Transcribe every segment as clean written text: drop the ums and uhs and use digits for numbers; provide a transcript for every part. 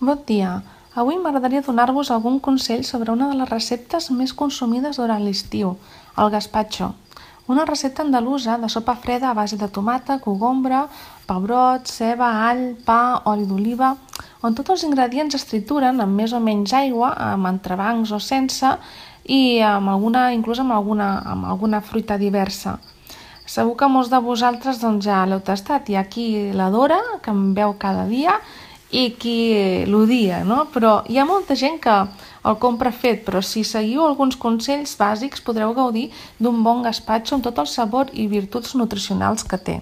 Bon dia! Avui m'agradaria donar-vos algun consell sobre una de les receptes més consumides durant l'estiu, el gazpacho. Una recepta andalusa de sopa freda a base de tomata, cogombre, pebrot, ceba, all, pa, oli d'oliva, on tots els ingredients es trituren amb més o menys aigua, amb entrebancs o sense, i inclús amb alguna fruita diversa. Segur que molts de vosaltres ja l'heu tastat. Hi ha qui l'adora, que em veu cada dia, i qui l'odia, no? Però hi ha molta gent que el compra fet, però si seguiu alguns consells bàsics podreu gaudir d'un bon gazpacho amb tot el sabor i virtuts nutricionals que té.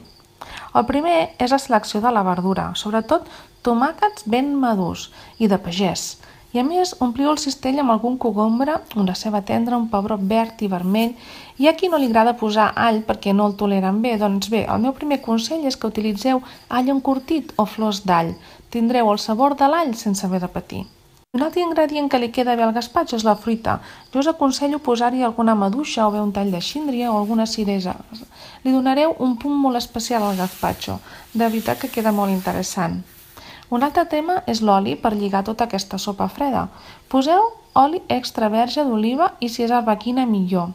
El primer és la selecció de la verdura, sobretot tomàquets ben madurs i de pagès. I a més, ompliu el cistell amb algun cogombre, una ceba tendra, un pebrot verd i vermell. Hi ha qui no li agrada posar all perquè no el toleren bé. Doncs bé, el meu primer consell és que utilitzeu all encurtit o flors d'all. Tindreu el sabor de l'all sense haver de patir. Un altre ingredient que li queda bé al gazpacho és la fruita. Jo us aconsello posar-hi alguna maduixa o bé un tall de síndria o alguna ciresa. Li donareu un punt molt especial al gazpacho. De veritat que queda molt interessant. Un altre tema és l'oli per lligar tota aquesta sopa freda. Poseu oli extra verge d'oliva i si és arbequina millor.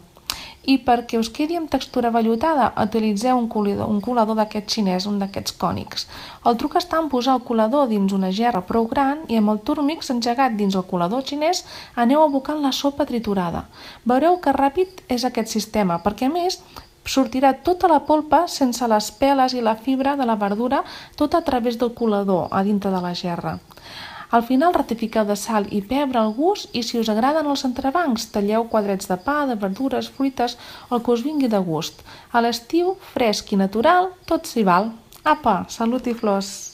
I perquè us quedi amb textura vellutada, utilitzeu un colador d'aquest xinès, un d'aquests cònics. El truc està en posar el colador dins una gerra prou gran i amb el turmix engegat dins el colador xinès aneu abocant la sopa triturada. Veureu que ràpid és aquest sistema, perquè a més sortirà tota la polpa sense les peles i la fibra de la verdura tot a través del colador a dintre de la gerra. Al final ratifiqueu de sal i pebre al gust i si us agraden els entrebancs talleu quadrets de pa, de verdures, fruites, el que us vingui de gust. A l'estiu, fresc i natural, tot s'hi val. Apa, salut i flors!